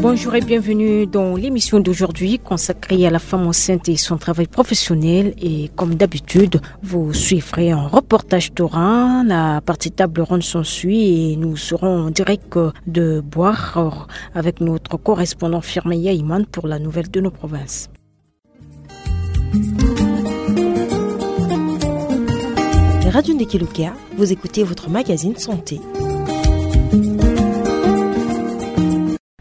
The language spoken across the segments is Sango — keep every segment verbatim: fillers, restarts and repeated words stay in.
Bonjour et bienvenue dans l'émission d'aujourd'hui consacrée à la femme enceinte et son travail professionnel. Et comme d'habitude, vous suivrez en reportage Torah la partie table ronde s'ensuit et nous serons en direct de Boire avec notre correspondant Firmin Yaïman pour la nouvelle de nos provinces. Radio Ndekelokia, vous écoutez votre magazine santé.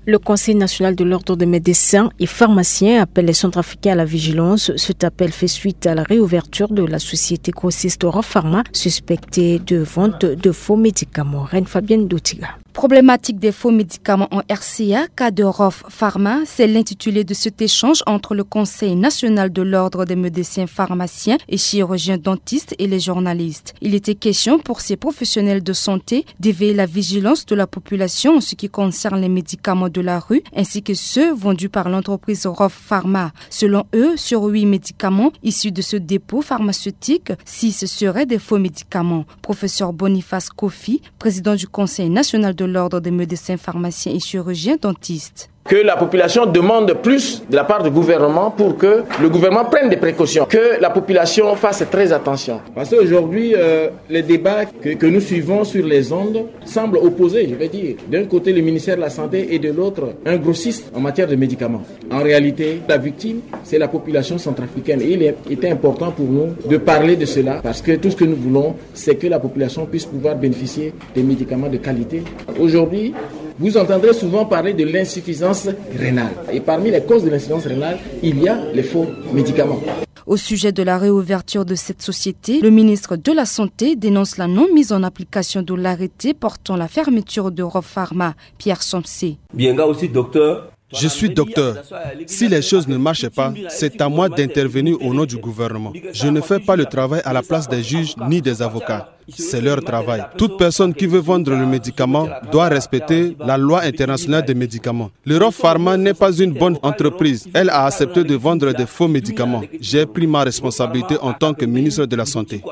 Le Conseil national de l'ordre des médecins et pharmaciens appelle les centrafricains à la vigilance. Cet appel fait suite à la réouverture de la société grossiste Pharma, suspectée de vente de faux médicaments. Reine Fabienne Dotiga. Problématique des faux médicaments en R C A, cas de Rof Pharma, c'est l'intitulé de cet échange entre le Conseil national de l'ordre des médecins pharmaciens et chirurgiens dentistes et les journalistes. Il était question pour ces professionnels de santé d'éveiller la vigilance de la population en ce qui concerne les médicaments de la rue ainsi que ceux vendus par l'entreprise Rof Pharma. Selon eux, sur huit médicaments issus de ce dépôt pharmaceutique, six seraient des faux médicaments. Professeur Boniface Kofi, président du Conseil national de l'ordre des médecins pharmaciens et chirurgiens dentistes. Que la population demande plus de la part du gouvernement pour que le gouvernement prenne des précautions, que la population fasse très attention. Parce qu'aujourd'hui, euh, les débats que, que nous suivons sur les ondes semblent opposés, je vais dire. D'un côté, le ministère de la Santé et de l'autre, un grossiste en matière de médicaments. En réalité, la victime, c'est la population centrafricaine. Et il est, était important pour nous de parler de cela parce que tout ce que nous voulons, c'est que la population puisse pouvoir bénéficier des médicaments de qualité. Aujourd'hui, vous entendrez souvent parler de l'insuffisance rénale. Et parmi les causes de l'insuffisance rénale, il y a les faux médicaments. Au sujet de la réouverture de cette société, le ministre de la Santé dénonce la non-mise en application de l'arrêté portant la fermeture de Rof Pharma. Pierre Somsé. Bien, nga aussi docteur. Je suis docteur. Si les choses ne marchent pas, c'est à moi d'intervenir au nom du gouvernement. Je ne fais pas le travail à la place des juges ni des avocats. C'est leur travail. Toute personne qui veut vendre le médicament doit respecter la loi internationale des médicaments. L'Europe Pharma n'est pas une bonne entreprise. Elle a accepté de vendre des faux médicaments. J'ai pris ma responsabilité en tant que ministre de la Santé.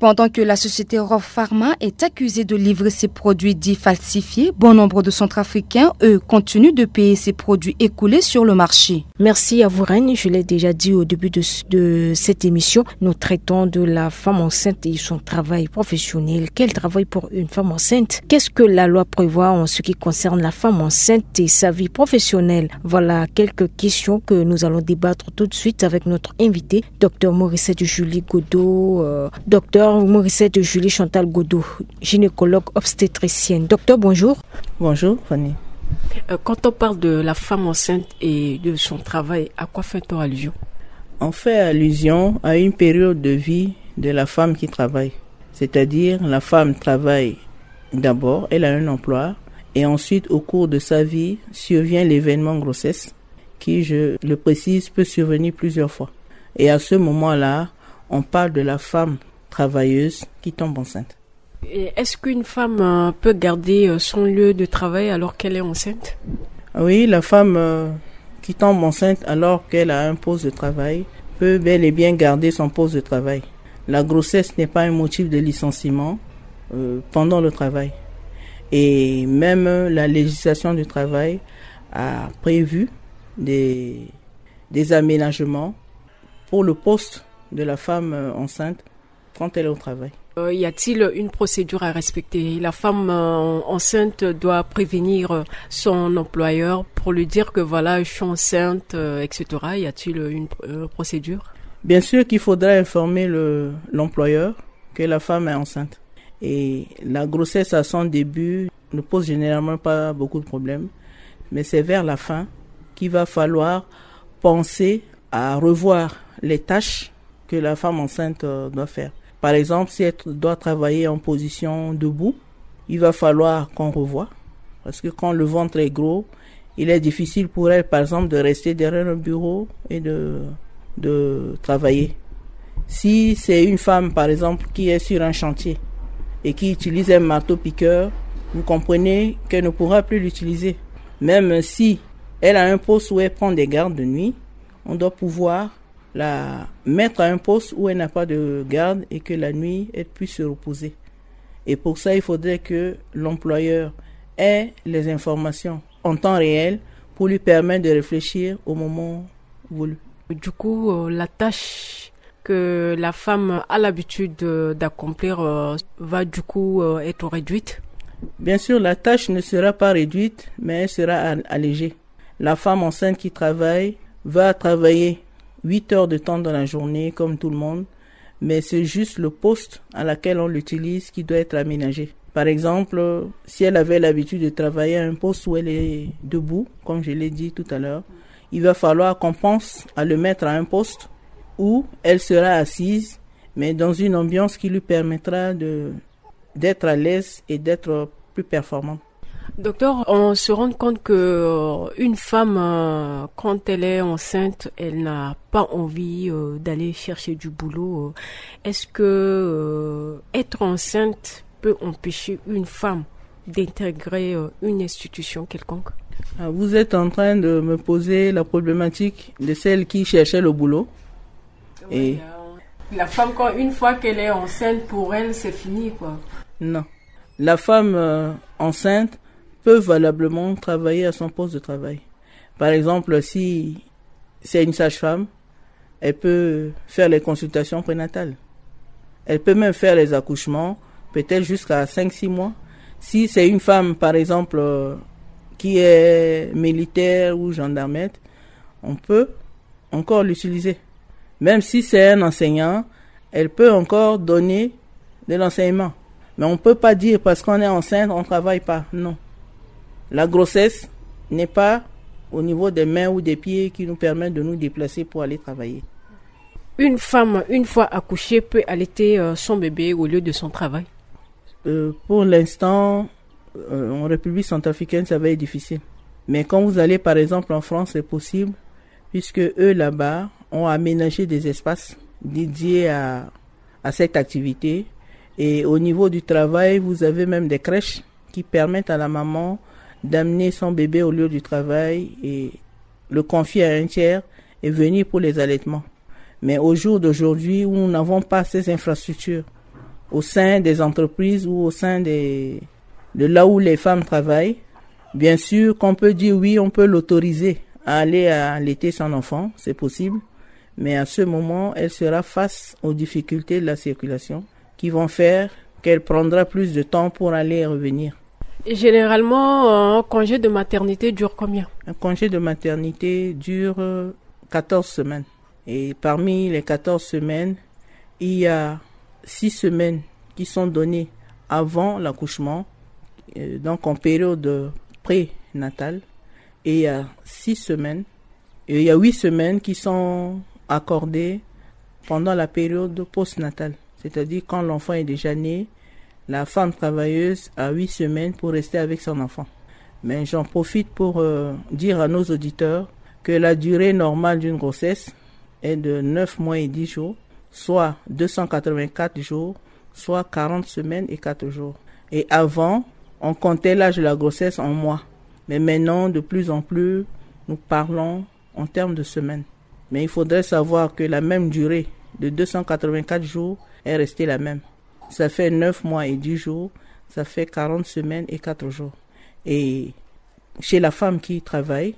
Pendant que la société Rof Pharma est accusée de livrer ses produits dits falsifiés, bon nombre de Centrafricains, eux, continuent de payer ces produits écoulés sur le marché. Merci à vous, Reine. Je l'ai déjà dit au début de, de cette émission, nous traitons de la femme enceinte et son travail professionnel. Quel travail pour une femme enceinte ? Qu'est-ce que la loi prévoit en ce qui concerne la femme enceinte et sa vie professionnelle ? Voilà quelques questions que nous allons débattre tout de suite avec notre invité, docteur Morissette Julie Godot, euh, docteur Morissette Julie Chantal Godot, gynécologue obstétricienne. Docteur, bonjour. Bonjour, Fanny. Euh, quand on parle de la femme enceinte et de son travail, à quoi fait-on allusion ? On fait allusion à une période de vie de la femme qui travaille. C'est-à-dire, la femme travaille d'abord, elle a un emploi, et ensuite, au cours de sa vie, survient l'événement grossesse, qui, je le précise, peut survenir plusieurs fois. Et à ce moment-là, on parle de la femme travailleuse qui tombe enceinte. Et est-ce qu'une femme, euh, peut garder, euh, son lieu de travail alors qu'elle est enceinte ? Oui, la femme, euh, qui tombe enceinte alors qu'elle a un poste de travail peut bel et bien garder son poste de travail. La grossesse n'est pas un motif de licenciement, euh, pendant le travail. Et même la législation du travail a prévu des, des aménagements pour le poste de la femme, euh, enceinte quand elle est au travail. Euh, y a-t-il une procédure à respecter ? La femme, euh, enceinte doit prévenir, euh, son employeur pour lui dire que voilà, je suis enceinte, euh, et cetera. Y a-t-il une pr-, euh, procédure ? Bien sûr qu'il faudra informer le, l'employeur que la femme est enceinte. Et la grossesse à son début ne pose généralement pas beaucoup de problèmes, mais c'est vers la fin qu'il va falloir penser à revoir les tâches que la femme enceinte, euh, doit faire. Par exemple, si elle doit travailler en position debout, il va falloir qu'on revoie. Parce que quand le ventre est gros, il est difficile pour elle, par exemple, de rester derrière un bureau et de, de travailler. Si c'est une femme, par exemple, qui est sur un chantier et qui utilise un marteau-piqueur, vous comprenez qu'elle ne pourra plus l'utiliser. Même si elle a un poste où elle prend des gardes de nuit, on doit pouvoir la mettre à un poste où elle n'a pas de garde et que la nuit, elle puisse se reposer. Et pour ça, il faudrait que l'employeur ait les informations en temps réel pour lui permettre de réfléchir au moment voulu. Du coup, euh, la tâche que la femme a l'habitude, euh, d'accomplir, euh, va du coup, euh, être réduite. Bien sûr, la tâche ne sera pas réduite, mais elle sera al-, allégée. La femme enceinte qui travaille va travailler huit heures de temps dans la journée, comme tout le monde, mais c'est juste le poste à laquelle on l'utilise qui doit être aménagé. Par exemple, si elle avait l'habitude de travailler à un poste où elle est debout, comme je l'ai dit tout à l'heure, il va falloir qu'on pense à le mettre à un poste où elle sera assise, mais dans une ambiance qui lui permettra de, d'être à l'aise et d'être plus performante. Docteur, on se rend compte que, euh, une femme, euh, quand elle est enceinte, elle n'a pas envie, euh, d'aller chercher du boulot. Est-ce que, euh, être enceinte peut empêcher une femme d'intégrer, euh, une institution quelconque ? Ah, vous êtes en train de me poser la problématique de celle qui cherchait le boulot. Et oui, euh, la femme, quand, une fois qu'elle est enceinte, pour elle, c'est fini, quoi. Non. La femme, euh, enceinte peut valablement travailler à son poste de travail. Par exemple, si c'est une sage-femme, elle peut faire les consultations prénatales. Elle peut même faire les accouchements, peut-être jusqu'à cinq, six mois. Si c'est une femme, par exemple, euh, qui est militaire ou gendarmette, on peut encore l'utiliser. Même si c'est un enseignant, elle peut encore donner de l'enseignement. Mais on ne peut pas dire parce qu'on est enceinte, on ne travaille pas. Non. La grossesse n'est pas au niveau des mains ou des pieds qui nous permet de nous déplacer pour aller travailler. Une femme, une fois accouchée, peut allaiter, euh, son bébé au lieu de son travail ? Euh, pour l'instant, euh, en République centrafricaine, ça va être difficile. Mais quand vous allez, par exemple, en France, c'est possible, puisque eux, là-bas, ont aménagé des espaces dédiés à, à cette activité. Et au niveau du travail, vous avez même des crèches qui permettent à la maman d'amener son bébé au lieu du travail et le confier à un tiers et venir pour les allaitements. Mais au jour d'aujourd'hui, où nous n'avons pas ces infrastructures au sein des entreprises ou au sein des, de là où les femmes travaillent, bien sûr qu'on peut dire oui, on peut l'autoriser à aller allaiter son enfant, c'est possible. Mais à ce moment, elle sera face aux difficultés de la circulation qui vont faire qu'elle prendra plus de temps pour aller et revenir. Et généralement, un congé de maternité dure combien ? Un congé de maternité dure, euh, quatorze semaines. Et parmi les quatorze semaines, il y a six semaines qui sont données avant l'accouchement, euh, donc en période prénatale. Et il y a six semaines, et il y a huit semaines qui sont accordées pendant la période postnatale. C'est-à-dire quand l'enfant est déjà né, la femme travailleuse a huit semaines pour rester avec son enfant. Mais j'en profite pour, euh, dire à nos auditeurs que la durée normale d'une grossesse est de neuf mois et dix jours, soit deux cent quatre-vingt-quatre jours, soit quarante semaines et quatre jours. Et avant, on comptait l'âge de la grossesse en mois. Mais maintenant, de plus en plus, nous parlons en termes de semaines. Mais il faudrait savoir que la même durée de deux cent quatre-vingt-quatre jours est restée la même. Ça fait neuf mois et dix jours, ça fait quarante semaines et quatre jours. Et chez la femme qui travaille,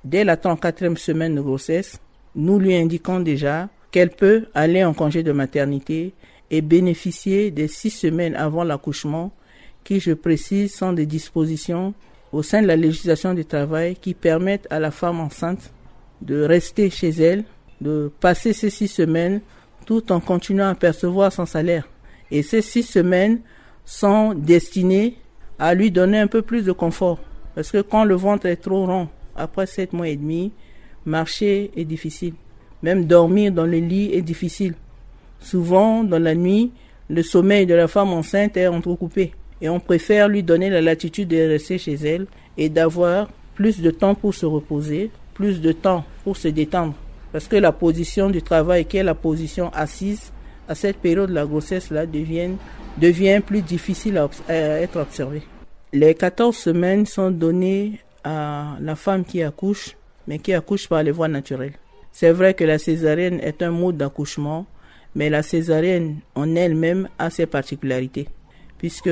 dès la trente-quatrième semaine de grossesse, nous lui indiquons déjà qu'elle peut aller en congé de maternité et bénéficier des six semaines avant l'accouchement, qui, je précise, sont des dispositions au sein de la législation du travail qui permettent à la femme enceinte de rester chez elle, de passer ces six semaines tout en continuant à percevoir son salaire. Et ces six semaines sont destinées à lui donner un peu plus de confort. Parce que quand le ventre est trop rond, après sept mois et demi, marcher est difficile. Même dormir dans le lit est difficile. Souvent, dans la nuit, le sommeil de la femme enceinte est entrecoupé. Et on préfère lui donner la latitude de rester chez elle et d'avoir plus de temps pour se reposer, plus de temps pour se détendre. Parce que la position du travail, qui est la position assise, à cette période, la grossesse-là devient, devient plus difficile à obs-, à être observée. Les quatorze semaines sont données à la femme qui accouche, mais qui accouche par les voies naturelles. C'est vrai que la césarienne est un mode d'accouchement, mais la césarienne en elle-même a ses particularités, puisque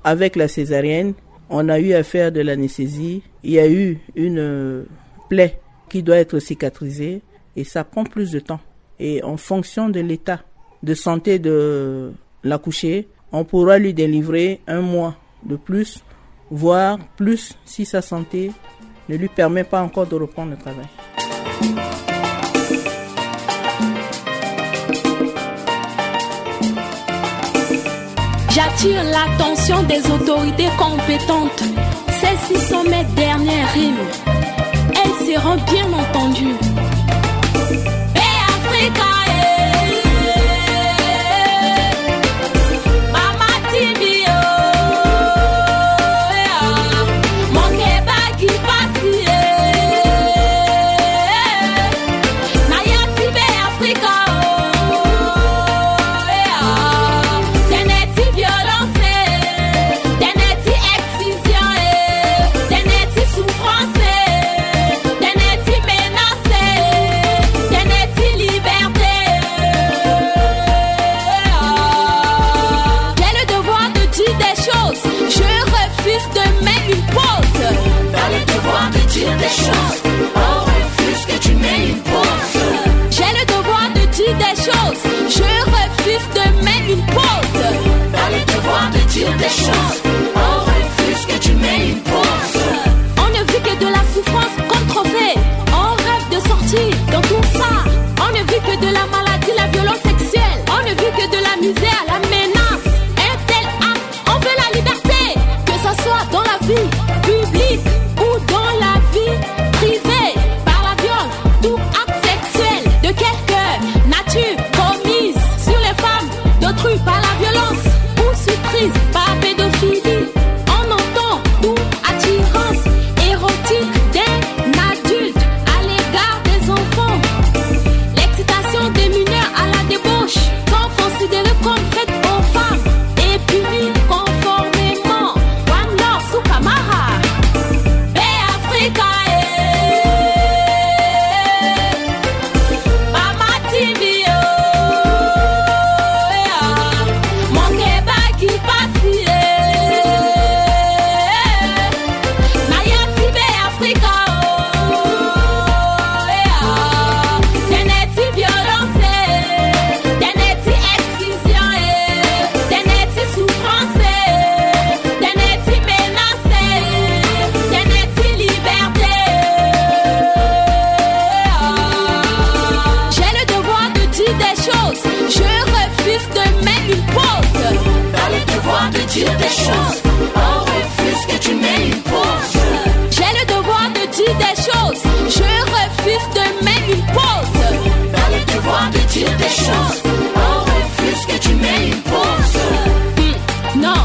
avec la césarienne, On a eu à faire de l'anesthésie. Il y a eu une, euh, plaie qui doit être cicatrisée et ça prend plus de temps. Et en fonction de l'état de santé de l'accouchée, on pourra lui délivrer un mois de plus, voire plus si sa santé ne lui permet pas encore de reprendre le travail. J'attire l'attention des autorités compétentes. Celles-ci sont mes dernières rimes. Elles seront bien entendues. Be Africa, eh, Mama Timi, oh, eh, ah. Mo ke baa gi pasi, eh, na ya ti Be Africa, oh, eh, ah. Tënë ti violence, eh, tënë ti excision, eh, tënë ti souffrance, eh, tënë ti menace, eh, tënë ti liberté, eh. J'ai le devoir de dire des choses. Je refuse de mettre une pause. T'as le devoir de dire des choses. On refuse que tu mettes une pause. J'ai le devoir de dire des choses. Je refuse de mettre une pause. T'as le devoir de dire des choses. On refuse que tu mettes une pause. On ne vit que de la souffrance comme trophée. On rêve de sortir dans tout ça. On ne vit que de la maladie, la violence sexuelle. On ne vit que de la misère, la menace. Un tel acte, on veut la liberté. Que ça soit dans la vie publique ou dans la vie privée. Par la viol, tout acte sexuel de quelque nature commise sur les femmes d'autrui par la violence ou surprise par pédophilie. On entend tout attirance érotique d'un adulte à l'égard des enfants. L'excitation des mineurs à la débauche sont considérées comme faites aux femmes et punies conformément. One love, Sukamara. Be Africa, eh. Mama Timi, oh, eh, ah. Mo ke baa gi pasi, eh, na ya ti Be Africa, oh, eh, ah. Tënë ti violence, eh, tënë ti excision, eh, tënë ti souffrance, eh, tënë ti menace, eh, tënë ti liberté, eh. J'ai le devoir de dire des choses. Je refuse de mettre une pause. T'as le devoir de dire des choses. On refuse que tu mettes une pause. J'ai le devoir de dire des choses. Je refuse de mettre une pause. T'as le devoir de dire des choses. On refuse que tu mettes une pause. Hmm, non,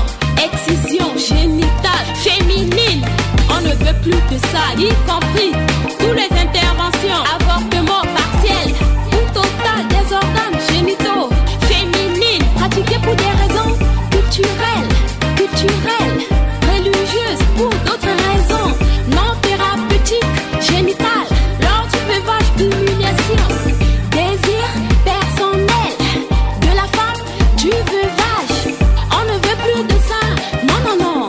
excision génitale féminine. On ne veut plus de ça, y compris tous les interventions, avortement partiel ou total des organes génitaux féminines, pratiquées pour des raisons culturelles, culturelles, religieuses ou d'autres raisons non thérapeutiques, génitales, lors du veuvage, humiliation, désir personnel de la femme, du veuvage. On ne veut plus de ça. Non, non, non.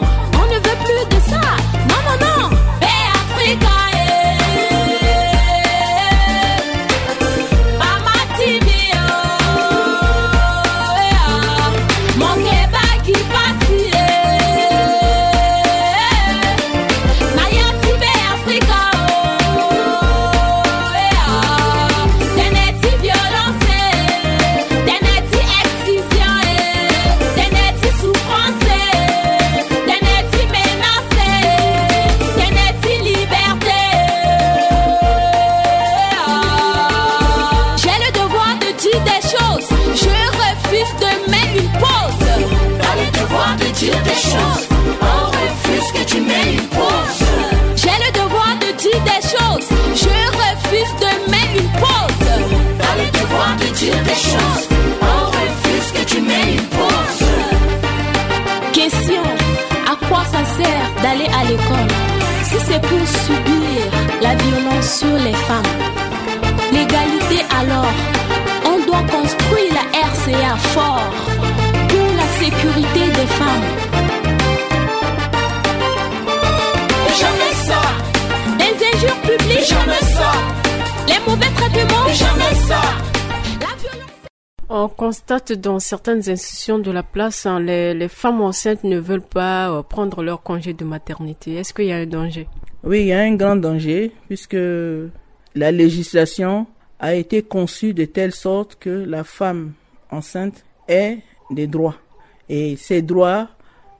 On ne veut plus de ça. Non, non, non. Be Africa, eh. Mama Timi, oh, eh, ah. Mo ke baa gi pasi, eh, na ya ti Be Africa, oh, eh, ah. Tënë ti violence, eh, tënë ti excision, eh, tënë ti souffrance, eh, tënë ti menace, eh, tënë ti liberté, eh. J'ai le devoir de dire des choses. Je refuse de mettre une pause. T'as le devoir de dire des choses. On refuse que tu mettes une pause. J'ai le devoir de dire des choses. Je refuse de mettre une pause. T'as le devoir de dire des choses. On refuse que tu mettes une pause. Question : à quoi ça sert d'aller à l'école si c'est pour subir la violence sur les femmes ? L'égalité alors, on doit construire la R C A fort pour la sécurité des femmes. Jamais ça. Les mauvais traitements. Jamais ça. La violence. On constate dans certaines institutions de la place, hein, les, les femmes enceintes ne veulent pas euh, prendre leur congé de maternité. Est-ce qu'il y a un danger ? Oui, il y a un grand danger puisque la législation a été conçue de telle sorte que la femme enceinte ait des droits. Et ces droits,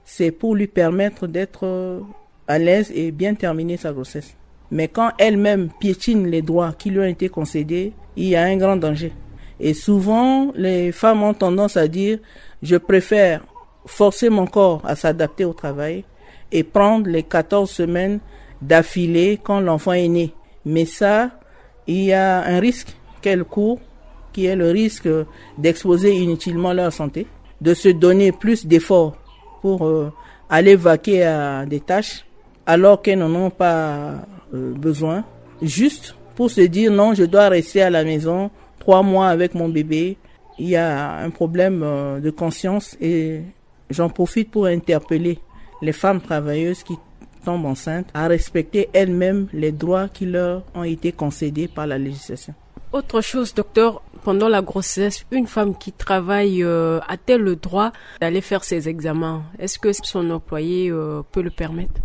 c'est pour lui permettre d'être euh, à l'aise et bien terminer sa grossesse. Mais quand elle-même piétine les droits qui lui ont été concédés, il y a un grand danger. Et souvent, les femmes ont tendance à dire, je préfère forcer mon corps à s'adapter au travail et prendre les quatorze semaines d'affilée quand l'enfant est né. Mais ça, il y a un risque qu'elle court, qui est le risque d'exposer inutilement leur santé, de se donner plus d'efforts pour euh, aller vaquer à des tâches alors qu'elles n'en ont pas euh, besoin, juste pour se dire non, je dois rester à la maison trois mois avec mon bébé. Il y a un problème euh, de conscience et j'en profite pour interpeller les femmes travailleuses qui tombent enceintes à respecter elles-mêmes les droits qui leur ont été concédés par la législation. Autre chose, docteur, pendant la grossesse, une femme qui travaille euh, a-t-elle le droit d'aller faire ses examens ? Est-ce que son employé euh, peut le permettre ?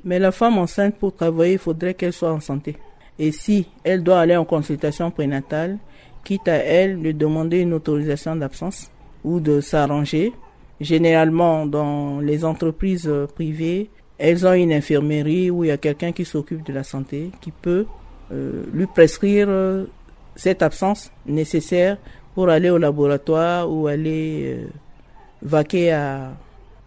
Mais la femme enceinte, pour travailler, il faudrait qu'elle soit en santé. Et si elle doit aller en consultation prénatale, quitte à elle de demander une autorisation d'absence ou de s'arranger. Généralement, dans les entreprises euh, privées, elles ont une infirmerie où il y a quelqu'un qui s'occupe de la santé, qui peut euh, lui prescrire euh, cette absence nécessaire pour aller au laboratoire ou aller euh, vaquer à,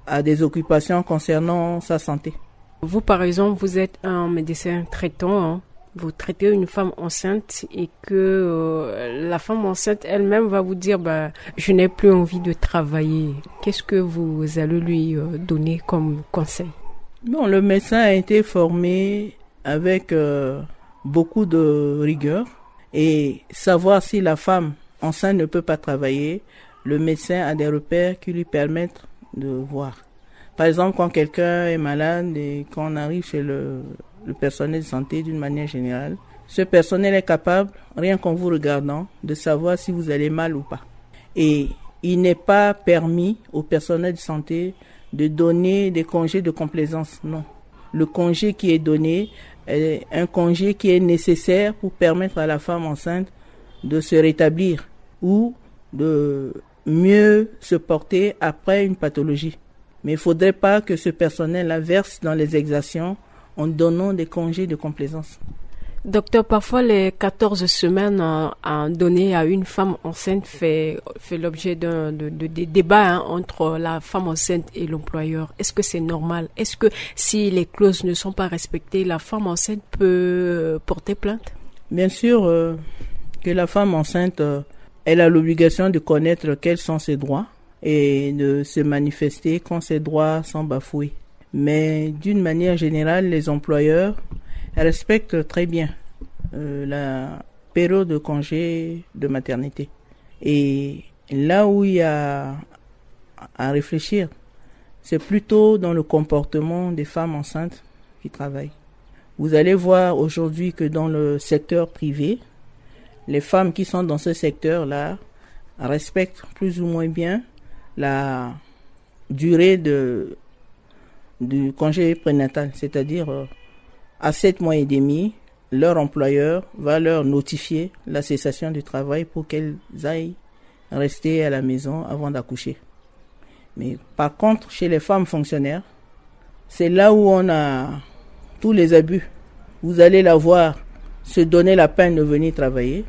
à des occupations concernant sa santé. Vous, par exemple, vous êtes un médecin traitant, hein. Vous traitez une femme enceinte et que euh, la femme enceinte elle-même va vous dire, bah, je n'ai plus envie de travailler. Qu'est-ce que vous allez lui euh, donner comme conseil ? Bon, le médecin a été formé avec euh, beaucoup de rigueur et savoir si la femme enceinte ne peut pas travailler, le médecin a des repères qui lui permettent de voir. Par exemple, quand quelqu'un est malade et qu'on arrive chez le, le personnel de santé d'une manière générale, ce personnel est capable, rien qu'en vous regardant, de savoir si vous allez mal ou pas. Et il n'est pas permis au personnel de santé de donner des congés de complaisance, non. Le congé qui est donné est un congé qui est nécessaire pour permettre à la femme enceinte de se rétablir ou de mieux se porter après une pathologie. Mais il ne faudrait pas que ce personnel-là verse dans les exactions en donnant des congés de complaisance. Docteur, parfois les quatorze semaines euh, à donner à une femme enceinte fait, fait l'objet d'un de, de, de débat hein, entre la femme enceinte et l'employeur. Est-ce que c'est normal ? Est-ce que si les clauses ne sont pas respectées, la femme enceinte peut euh, porter plainte ? Bien sûr euh, que la femme enceinte, euh, elle a l'obligation de connaître quels sont ses droits et de se manifester quand ses droits sont bafoués. Mais d'une manière générale, les employeurs respectent très bien euh, la période de congé de maternité. Et là où il y a à réfléchir, c'est plutôt dans le comportement des femmes enceintes qui travaillent. Vous allez voir aujourd'hui que dans le secteur privé, les femmes qui sont dans ce secteur-là respectent plus ou moins bien la durée de, du congé prénatal, c'est-à-dire euh, à sept mois et demi, leur employeur va leur notifier la cessation du travail pour qu'elles aillent rester à la maison avant d'accoucher. Mais par contre, chez les femmes fonctionnaires, c'est là où on a tous les abus. Vous allez la voir se donner la peine de venir travailler.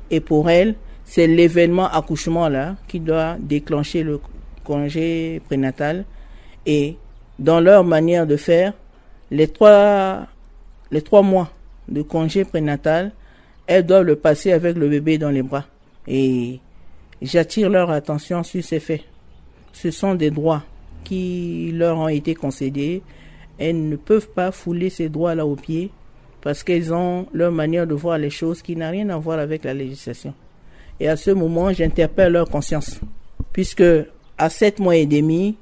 Et pour elle, c'est l'événement accouchement là qui doit déclencher le congé prénatal. Et dans leur manière de faire, les trois, les trois mois de congé prénatal, elles doivent le passer avec le bébé dans les bras. Et j'attire leur attention sur ces faits. Ce sont des droits qui leur ont été concédés. Elles ne peuvent pas fouler ces droits-là aux pieds parce qu'elles ont leur manière de voir les choses qui n'a rien à voir avec la législation. Et à ce moment, j'interpelle leur conscience. Puisque à sept mois et demi,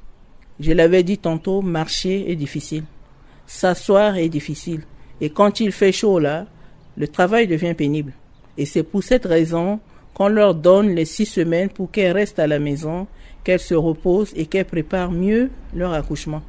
je l'avais dit tantôt, marcher est difficile. S'asseoir est difficile. Et quand il fait chaud là, Le travail devient pénible. Et c'est pour cette raison qu'on leur donne les six semaines pour qu'elles restent à la maison, qu'elles se reposent et qu'elles préparent mieux leur accouchement.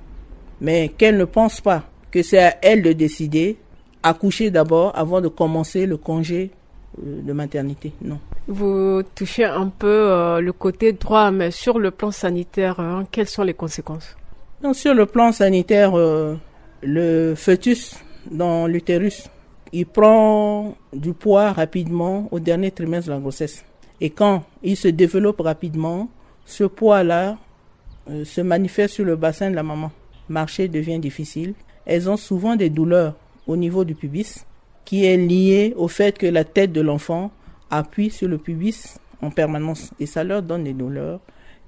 Mais qu'elles ne pensent pas que c'est à elles de décider, accoucher d'abord avant de commencer le congé, euh, de maternité. Non. Vous touchez un peu, euh, le côté droit, mais sur le plan sanitaire, hein, quelles sont les conséquences ? Donc, sur le plan sanitaire, euh, le fœtus dans l'utérus, il prend du poids rapidement au dernier trimestre de la grossesse. Et quand il se développe rapidement, ce poids-là, euh, se manifeste sur le bassin de la maman. Marcher devient difficile. Elles ont souvent des douleurs au niveau du pubis, qui est lié au fait que la tête de l'enfant appuie sur le pubis en permanence. Et ça leur donne des douleurs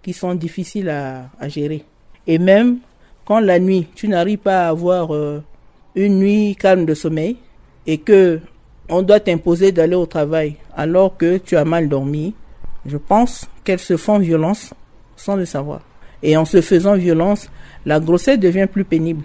qui sont difficiles à, à gérer. Et même quand la nuit, tu n'arrives pas à avoir, euh, une nuit calme de sommeil et que on doit t'imposer d'aller au travail alors que tu as mal dormi, je pense qu'elles se font violence sans le savoir. Et en se faisant violence, la grossesse devient plus pénible.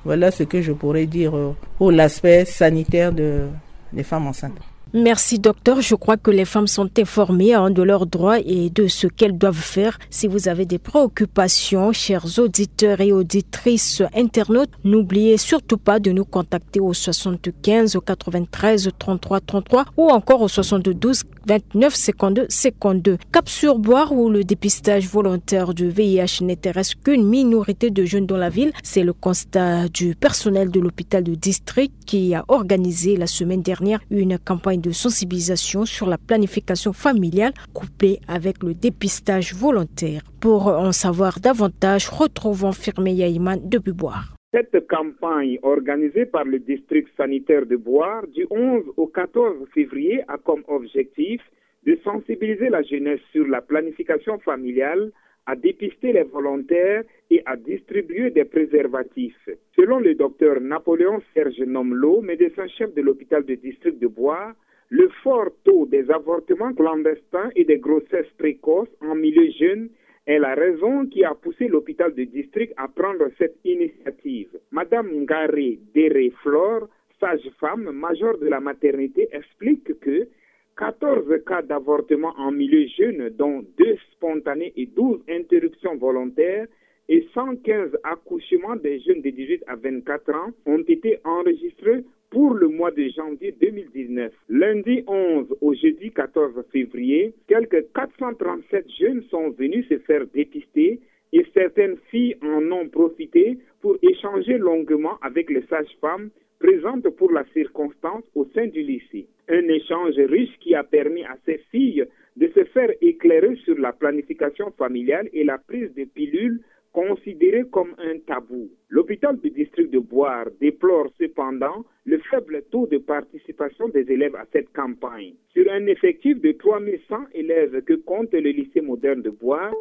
Voilà ce que je pourrais dire, euh, pour l'aspect sanitaire de, des femmes enceintes. Merci, docteur. Je crois que les femmes sont informées, hein, de leurs droits et de ce qu'elles doivent faire. Si vous avez des préoccupations, chers auditeurs et auditrices, internautes, n'oubliez surtout pas de nous contacter au soixante-quinze quatre-vingt-treize trente-trois trente-trois ou encore au soixante-douze vingt-neuf cinquante-deux cinquante-deux. Cap sur Boire, où le dépistage volontaire du V I H n'intéresse qu'une minorité de jeunes dans la ville, c'est le constat du personnel de l'hôpital de district qui a organisé la semaine dernière une campagne de sensibilisation sur la planification familiale couplée avec le dépistage volontaire. Pour en savoir davantage, retrouvons Firme Yaïman depuis Boire. Cette campagne organisée par le district sanitaire de Boire du onze au quatorze février a comme objectif de sensibiliser la jeunesse sur la planification familiale, à dépister les volontaires et à distribuer des préservatifs. Selon le docteur Napoléon Serge Nomlo, médecin chef de l'hôpital de district de Boire, le fort taux des avortements clandestins et des grossesses précoces en milieu jeune est la raison qui a poussé l'hôpital de district à prendre cette initiative. Madame Ngaré Déré Flore, sage-femme, major de la maternité, explique que quatorze cas d'avortement en milieu jeune, dont deux spontanés et douze interruptions volontaires, et cent quinze accouchements des jeunes de dix-huit à vingt-quatre ans, ont été enregistrés pour le mois de janvier deux mille dix-neuf. Lundi onze au jeudi quatorze février, quelques quatre cent trente-sept jeunes sont venus se faire dépister et certaines filles en ont profité pour échanger longuement avec les sages-femmes présentes pour la circonstance au sein du lycée. Un échange riche qui a permis à ces filles de se faire éclairer sur la planification familiale et la prise de pilules considérées comme un tabou. L'hôpital du district de Boire déplore cependant le faible taux de participation des élèves à cette campagne. Sur un effectif de trois mille cent élèves que compte le lycée moderne de Boire,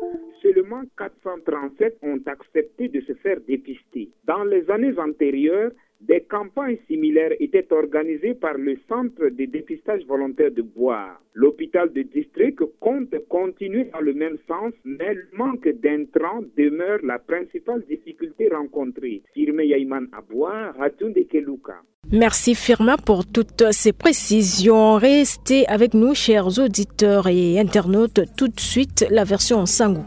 seulement quatre cent trente-sept ont accepté de se faire dépister. Dans les années antérieures, des campagnes similaires étaient organisées par le Centre de dépistage volontaire de Boire. L'hôpital de district compte continuer dans le même sens, mais le manque d'intrants demeure la principale difficulté rencontrée. Firme Yaïman à Boire, Ratunde Keluka. Merci Firmin pour toutes ces précisions. Restez avec nous, chers auditeurs et internautes. Tout de suite, la version en sango.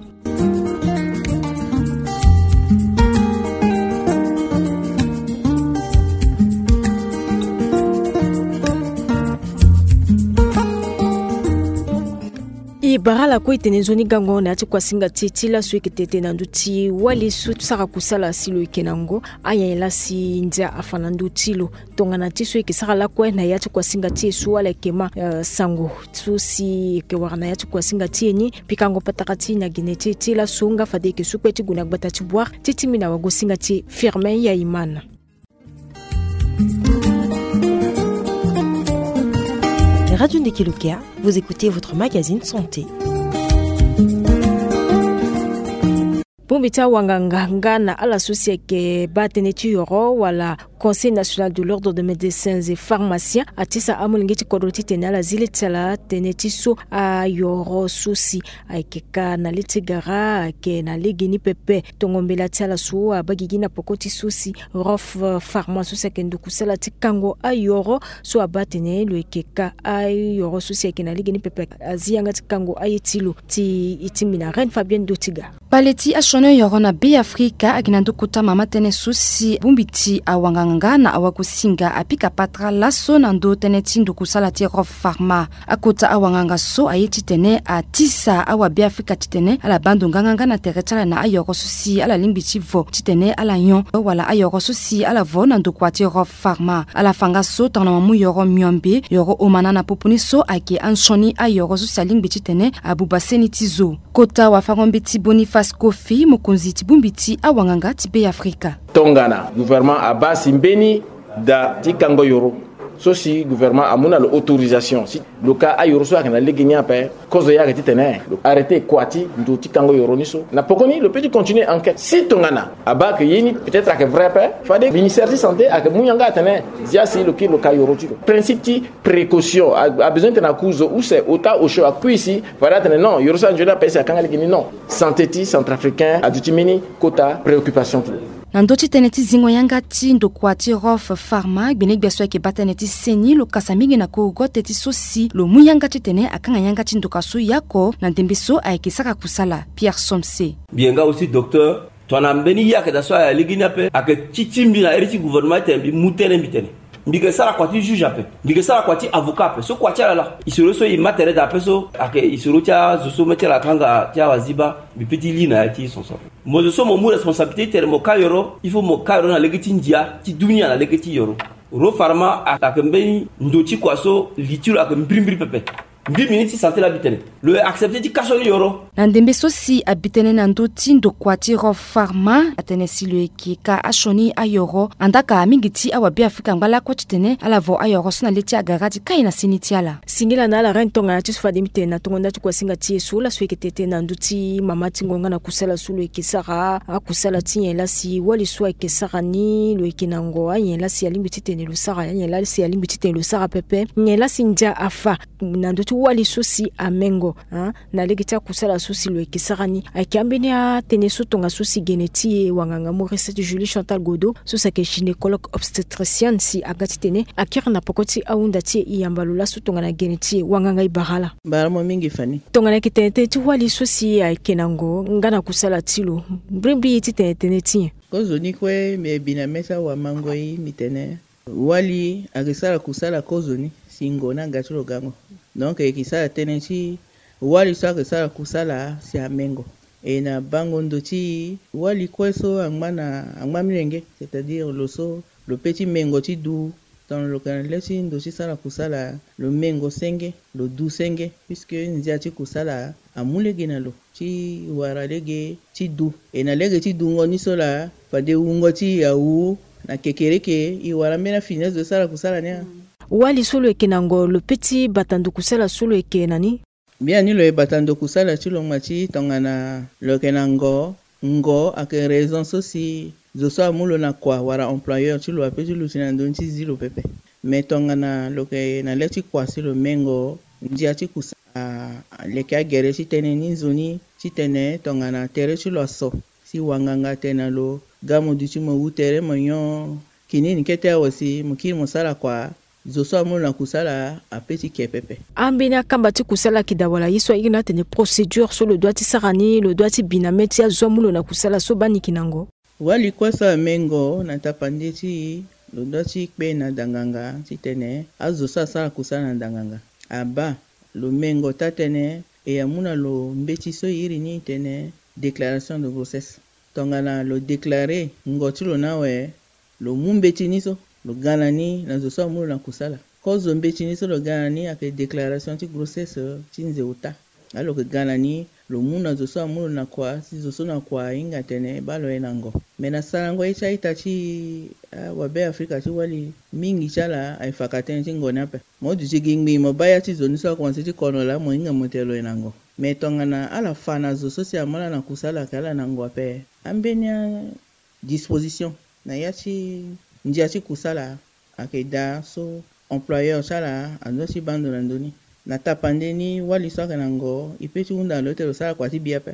E bara ala kue e tene nzoni gango na ya ti kuasinga ti e ti laso e yeke tete na ndö ti wali so sara kusala si lo yeke na ngo. Anyen laa si ndia afa na ndö ti lo. Tongana ti so e yeke sara lakue na ya ti kuasinga ti e so ala yeke ma, eh, sango so si e yeke wara na ya ti kuasinga ti e ni. Pikango patara ti e na gene ti e ti laso nga fade e yeke su kpe ti gue na gbata ti Boire ti tingbi na wagosinga ti e Firmin Yaimana. Radio Ndeke Lukea, vous écoutez votre magazine santé. Bongbi ti awanganga nga na ala so si ayeke baa tënë ti yoro wala Conseil national de l'ordre de médecins et pharmaciens atisa amolenge ti kodro titene ala zi le ti ala tënë ti so ayoro so si ayeke ka na le ti gara ayeke na legeni pepe. Tongo mbela ti ala so abaa gigi na poko ti so si Rof Pharma so si ayeke nduku sala ti kango ayoro so abaa atene lo yeke ka ayoro so si ayeke na legeni pepe azi yanga ti kango aye ti lo. Ti e ti mbi na Reine Fabienne Dotiga. Kpale ti asioni ayoro na Be Afrika ayeke na ndö kota mama tënë so si bongbi ti awanganga na awagosinga apika patara laso na ndö tënë ti nduku sala ti Rof Pharma. Akota awanganga so aye titene atisa awabeafrika titene ala baa ndo nganganga na tere ti ala na ayoro so si ala lingbi ti vo titene ala nyon wala ayoro so si ala vo na ndokua ti Rof Pharma. Ala fa nga so tongana mo mu yoro miombe, yoro omana na popo ni so ayeke ansioni ayoro so si alingbi titene abuba seni ti zo. Kota wafango-mbeti Boniface Kofi, mokonzi ti bongbi ti awanganga ti Be Afrika. Tongana gouvernement abaa si mbeni da ti kango yoro so si gouvernement amu na lo autorisation si lo ka ayoro so ayeke na legeni ape, kozo ye ayeke titene lo arrêter kua ti ndo ti kango yoro ni so. Na poko ni lo peut ti continuer enquête. Si tongana abaa ke ye ni peut-être ayeke vrai ape, fade ministère ti santé ayeke mu yanga atene zia si lo kiri lo ka yoro ti lo. Principe ti précaution a, abezoin titene aku zo use ota osio akui si fade atene non, yoro so anzoni ape si akanga legeni non. Santé ti centrafricain aduti mbeni kota préoccupation ti lo. Na ndö ti tënë ti zingo yanga ti ndokua ti Rof Pharma, gbenegbia so ayeke baa tënë ti seni lo kasa mingi na korogote ti so si lo mu yanga titene akanga yanga ti ndoka so yako na ndembe so ayeke sara kusala. Pierre Somse. Mbi yeke nga aussi docteur. Tongana mbeni ye ayeke daa so ayeke legeni ape, ayeke ti ti mbi na iri ti gouvernement titene mbi mu tënë mbi tene mbi yeke sara kua ti juge ape, mbi yeke sara kua ti avocat ape. So kua ti ala laa, isoro so e ma tere daa ape so ayeke isoro ti azo so mê ti ala akanga ti awaziba, mbi peut ti li na ya ti son so ape. Mo zo so mo mu responsabilité titene mo ka yoro, il faut mo ka yoro na lege ti ndia ti dunia na lege ti yoro. Rof Pharma ayeke mbeni ndo ti kua so li ti lo ayeke mbirimbiri pepe. Mbi, ministre ti santé laa, mbi tene lo accepter ti ka so ni yoro. Na ndembe so si abi tënë na ndö ti ndokua ti Rof Pharma atene si lo yeke ka asioni ayoro, andaa ka mingi ti awabeafrika angba lakue titene ala vo ayoro so na le ti agara ti kai na seni ti ala. Singila na ala Reine, tongana ti so fade mbi tene na tongo nda ti kuasinga ti e so laso e yeke tene na ndö ti mama ti ngonga na kusala so lo yeke sara akusala ti nyen laa si wali so ayeke sara ni lo yeke na ngo, anyen laa si alingbi titene lo sara, anyen laa si alingbi titene lo sara pepe, nyen laa si ndia afa na ndö ti wali so si amengo, hein, na lege ti akusala so si lo yeke sara ni. Ayeke ambeni atënë so tongaso si gene ti e wanganga Maurice ti Julie Chantal Godo so si ayeke gynécologue obstétricienne si aga titene akiri na poko ti ahunda ti e. E yamba lo laso tongana gene ti e, wanganga, e bara ala. Bara mo mingi Fanny. Tongana ayeke tene tënë ti wali so si ayeke na ngo nga na kusala ti lo, mbrimbri ye ti tene tënë ti nyen? Kozoni kue mbi bi na mê ti awamango-i, mbi tene wali ayeke sara kusala kozoni si ngo ni aga ti lo gango. Donc e yeke sara tënë ti wali so ayeke sara kusala si amengo. E na bango ndo ti wali kue so angba na angba milenge, c'est-à-dire lo so lo peut ti mengo ti du. Tongana lo yeke na le ti ndo ti sara kusala, lo mengo senge, lo du senge, puisque ndia ti kusala amu lege na lo ti wara lege ti du. E na lege ti dungo ni so laa, fade wungo ti e awu na kekereke, e wara mbeni afini azo ti sara kusala ni a. Wali so lo yeke na ngo, lo peut ti bata ndo kusala so lo yeke na ni? Biani lo yeke bata ndo kusala ti lo ngba ti tongana lo yeke na ngo, ngo ayeke raison so si zo so amu lo na kua wala employeur ti lo apeut ti luti na ndö ni ti zi lo pepe. Mais tongana lo yeke na le ti kua si lo mengo, ndia ti kusala aleke agere ti tënë ni nzoni titene tongana tere ti lo aso, si wanganga atene na lo ga mo duti mo wu tere mo nyon kinini kete awe si mo kiri mo sara kua, zo so amu lo na kusala apeut ti ke pepe. Ambeni akamba ti kusala ayeke daa wala ye so airi ni atene procédure so lo doit ti sara ni, lo doit ti bi na mê ti azo amu lo na kusala so baa ni yeke na ngo? Wali kue so amengo na tapande ti e, lo doit ti kpe na danganga titene azo so asara kusala na danganga abaa. Lo mengo taa tënë, e amu na lo mbeti so e iri ni tene déclaration de grossesse. Tongana lo déclarer ngo ti lo ni awe, lo mu mbeti ni so, lo ga na ni na zo so amu lo na kusala. Kozo mbeti ni so lo ga na ni ayeke déclaration ti grossesse ti nze ota. Alo yeke ga na ni, lo mu na zo so amu lo na kua, si zo so na kua ahinga atene baa lo ye na ngo. Me na sarango ye ti a-ita ti awabe Afrika ti wali, mingi ti ala ayeke faka tënë ti ngo ni ape. Mo duti gi ngbii mo baa ya ti zo ni so akomanse ti kono laa mo hinga mo tene lo ye na ngo. Me tongana ala fa na zo so si amu ala na kusala ayeke ala na ngo ape, ambeni a disposition na ya ti ndia ti kusala ayeke daa so employeur ti ala azo ti baa ndo na ndö ni. Na tapande ni, wali so ayeke na ngo, e pe ti hunda na lo ti tene lo sara kua ti bi ape.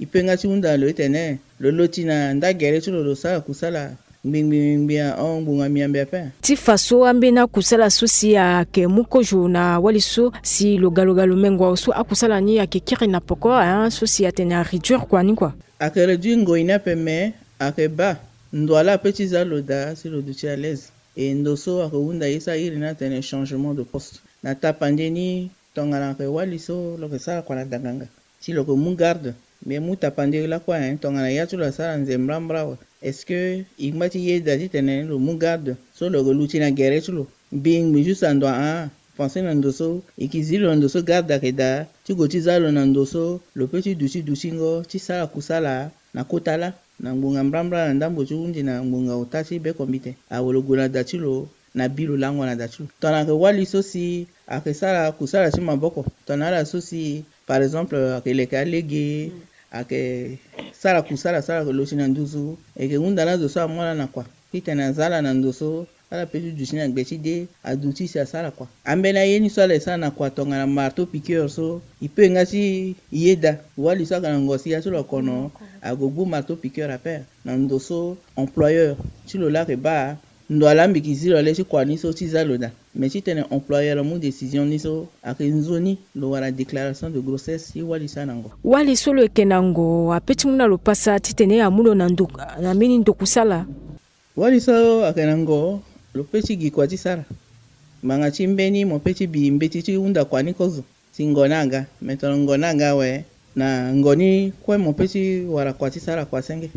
E pe nga ti hunda na lo ti tene lo loti na nda gere ti lo, lo sara kusala ngbingbingbingbi ahon ngbonga miambe ape. Ti fa so ambeni akusala so si ayeke mu kozo na wali so si lo ga lo ga lo mengo awe so akusala ni ayeke kiri na poko, hein, so si atene aréduire kua ni kua. Ayeke réduire ngoi ni ape, me ayeke baa ndo ala ape ti za lo daa si lo duti à l'aise. E ndo so ayeke hunda ye so a iri ni atene changement de poste. Na tapande ni, tongana ayeke wali so lo yeke sara kua na danganga si lo yeke mu garde, me mu tapande lakue, hein, tongana ya ti lo asara nze mbrambra awe, est-ce que e ngba ti yeda titene lo mu garde so lo yeke luti na gere ti lo? Mbi ngbi juste na ndo ahon, pensé na ndo so e yeke zi lo na ndo so garde ayeke daa ti gue ti za lo na ndo so lo pe ti duti dutingo ti sara kusala na kota laa, na ngbonga mbrambra na ndambo ti hundi na ngbonga ota ti beko mbite. Awe lo gue na da ti lo na bi lo lango na da ti lo. Tongana ayeke wali so si ayeke sara kusala ti maboko, tongana ala so si par exemple ayeke leke alege, ayeke sara kusala so ala yeke lo ti na nduzu, e yeke hunda na azo so amu ala na kua titene aza ala na ndo so ala pe ti duti na gbe ti de, aduti si asara kua. Ambeni aye ni so ala yeke sara na kua tongana marteau piqueur so, e pe nga ti yeda wali so ayeke na ngo si ya ti lo akono ague gbu marteau piqueur ape na ndo so employeur ti lo laa ayeke baa ndo ala mbi yeke zi lo le ti kua ni so ti za lo daa. Me titene employeur amu décision ni so, ayeke nzoni lo wara déclaration de grossesse ti wali so ayeke na ngo. Wali so lo yeke na ngo ape ti mu na lo pasa titene amu lo na ndo, na mbeni ndo kusala. Wali so ayeke na ngo, lo pe ti gi kua ti sara. Ngbanga ti mbeni mo pe ti bi mbeti ti hunda kua ni kozo si ngo ni aga. Me tongana ngo ni aga awe, na ngo ni kue mo pe ti wara kua ti sara kua senge.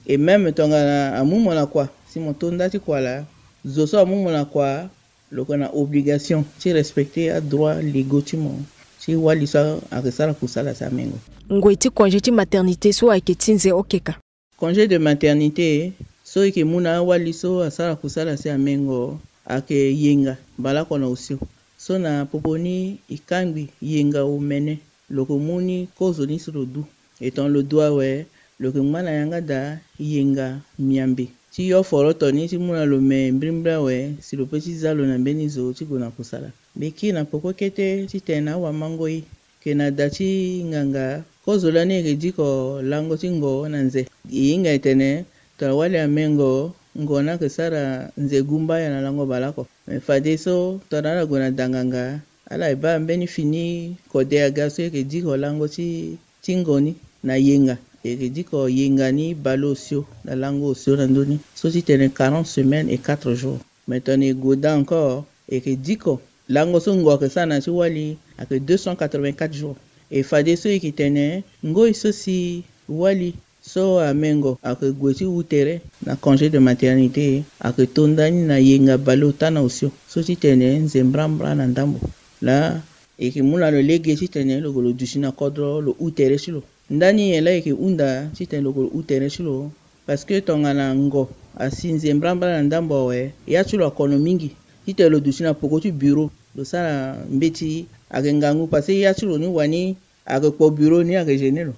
Et même tongana amu mo na kua si mo to nda ti kua laa, zo so amu mo na kua, lo yeke na obligation ti respecter adroit légaux ti mo, ti wali so ayeke sara kusala si amengo. Ngoi ti congé ti maternité so ayeke ti nze okeka. Congé de maternité so e yeke mu na awali so asara kusala si amengo ayeke yenga baleoko na osio. So na popo ni e kangbi yenga omene, lo yeke mu ni kozo ni so lo du. E tongana lo du awe, lo yeke ngba na yanga daa yenga miambe ti yo foroto ni ti mu na lo me mbrimbri awe si lo pe ti za lo na mbeni zo ti gue na kusala. Mbi kiri na peko kete titene awamangoi yeke na da ti nganga, kozo lani e yeke diko lango ti ngo na nze. E hinga e tene tongana wali amengo, ngo ni ayeke sara nze gumbaya na lango baleoko. Me fadeso tongana ala gue na da nganga, ala yeke baa mbeni fini kode aga so e yeke diko lango ti, ti ngo ni na yenga. E yeke diko yenga ni baleosio na lango osio na ndö ni so ti tene quarante semaines et quatre jours. Me tongana e gue daa encore, e yeke diko lango so ngo ayeke sara na ya ti wali ayeke deux cent quatre-vingt-quatre jours. E fadeso e yeke tene ngoi so si wali so amengo ayeke gue ti hu tere na congé de maternité, ayeke to nda ni na yenga baleota na osio so ti tene nze mbrambra na ndambo. Laa e yeke mu na lo lege titene lo gue lo duti na kodro lo hu tere ti lo. Ndani nyen laa e yeke hunda titene lo gue lo hu tere ti lo? Parce que tongana ngo asi nze mbrambra na ndambo awe, ya ti lo akono mingi titene lo duti na poko ti bureau lo sara mbeti ayeke ngangu, parce que ya ti lo ni wani ayeke kpo bureau ni ayeke gêner lo.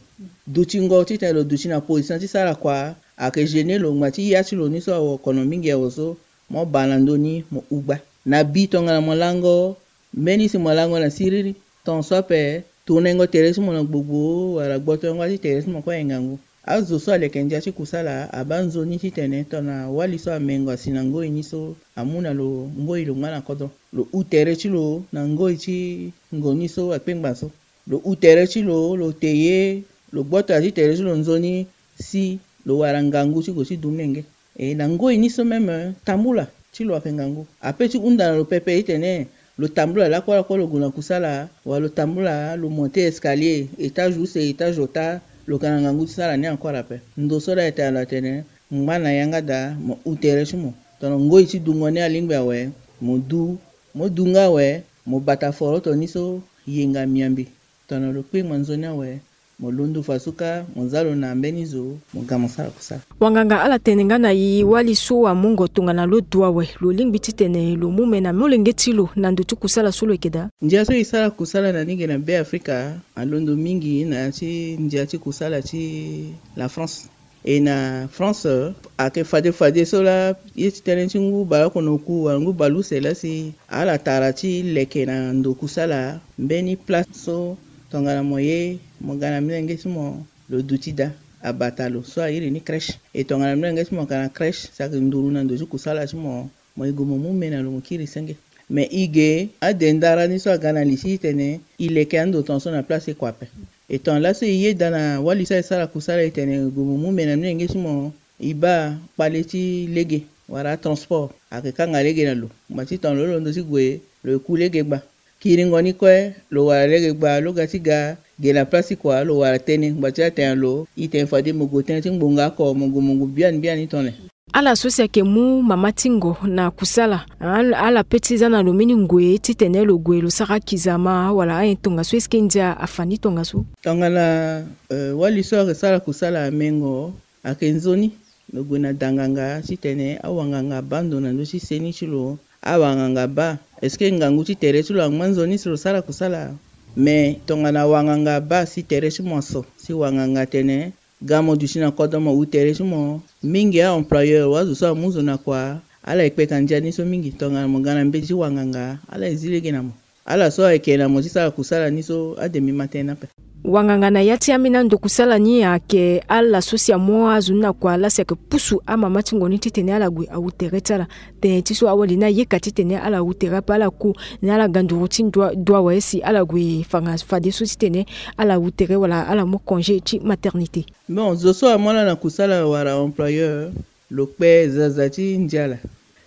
Dutingo titene lo duti na position ti sara kua ayeke gêner lo ngba ti ya ti lo ni so awe akono mingi awe so, mo baa na ndö ni mo hu gba. Na bi tongana mo lango mbeni si mo lango na siriri, ton so ape tournengo tere ti mo na gbogbo wala gbotongo ti tere ti mo kue aye ngangu. Azo so aleke ndia ti kusala abaa nzoni titene tongana wali so amengo asi na ngoi ni so amu na lo ngoi lo ngba na kodro, lo hu tere ti lo na ngoi ti ngo ni so akpengba so. Lo hu tere ti lo, lo te ye, lo gboto ya ti tere ti lo nzoni si lo wara ngangu ti gue ti du menge. E na ngoi ni so même tambula ti lo ayeke ngangu. Ape ti hunda na lo pepe titene lo tambula lakue lakue lo gue na kusala, wala lo tambula lo monter escalier, étage use étage ota, lo yeke na ngangu ti sara ni encore ape. Ndo so laa e tene na lo atene ngba na yanga daa mo hu tere ti mo. Tongana ngoi ti dungo ni alingbi awe, mo du. Mo du nga awe, mo bata foroto ni so yenga miambe. Tongana lo kpengba nzoni awe, mo londo fasuka, mo za lo na mbeni zo, mo ga mo sara kusala. Wanganga, ala tene nga na e wali so amu ngo tongana lo du awe, lo lingbi titene lo mu me na molenge ti lo na ndo ti kusala so lo yeke daa? Ndia so e sara kusala na ni ge na Be Afrika alondo mingi na ya ti ndia ti kusala ti la France. E na France, ayeke fade fade so laa ye ti tënë ti ngu baleoko na oku wala ngu baleuse laa si ala tara ti leke na ndo kusala mbeni place so tongana mo ye mo ga na molenge ti mo, lo duti daa, abata lo so airi ni crèche. E tongana molenge ti mo ayeke na crèche, si ayeke nduru na ndo ti kusala ti mo, mo ye gue mo mu me na lo mo kiri senge. Me e ge adendara ni so aga na li ti e titene e leke ando tongaso na place ti kua ape. E tongana laso e yeda na wali so ayeke sara kusala e tene e gue mo mu me na molenge ti mo, e baa kpale ti lege wala atransport ayeke kanga lege na lo. Ngbanga ti tongana lo londo ti gue, lo ye ku lege gba. Kiringo ni kue, lo wara lege gba, lo ga ti ga ge na place ti kua, lo wara tënë. Ngbanga ti atene lo, e tene fade mo gue tënë ti ngbonga oko, mo gue mo gue biani biani tongana nyen. Ala so si ayeke mu mama ti ngo na kusala, ala, ala pe ti za na lo mbeni ngoi titene lo gue lo sara kizama wala ayen tongaso, est-ce que ndia afa ni tongaso? Tongana, euh, wali so ayeke sara kusala amengo, ayeke nzoni lo gue na danganga titene awanganga abaa ndo na ndö ti seni ti lo. Awanganga abaa, est-ce que ngangu ti tere ti lo angba nzoni si lo sara kusala? Me tongana awanganga abaa si tere ti mo aso, si wanganga atene ga mo duti na kodro mo hu tere ti mo. Mingi a-employeur wa azo so amu zo na kua, ala ye kpeka ndia ni so mingi. Tongana mo ga na mbeti ti wanganga, ala ye zi lege na mo. Ala so ayeke na mo ti sara kusala ni so, ade mbi ma tënë ni ape. Wanganga na ya ti ambeni ando kusala ni ayeke ala so si amu azo ni na kua laa si ayeke pusu amama ti ngo ni titene ala gue ahu tere ti ala. Tënë ti so awali ni ayeka titene ala hu tere ape, ala ku na ala ga nduru ti dua, dua awe si ala gue fanga fadeso titene ala hu tere wala ala mu congé ti maternité. Bon, zo so amu ala na kusala wala employeur, lo kpe zaza ti ndia laa.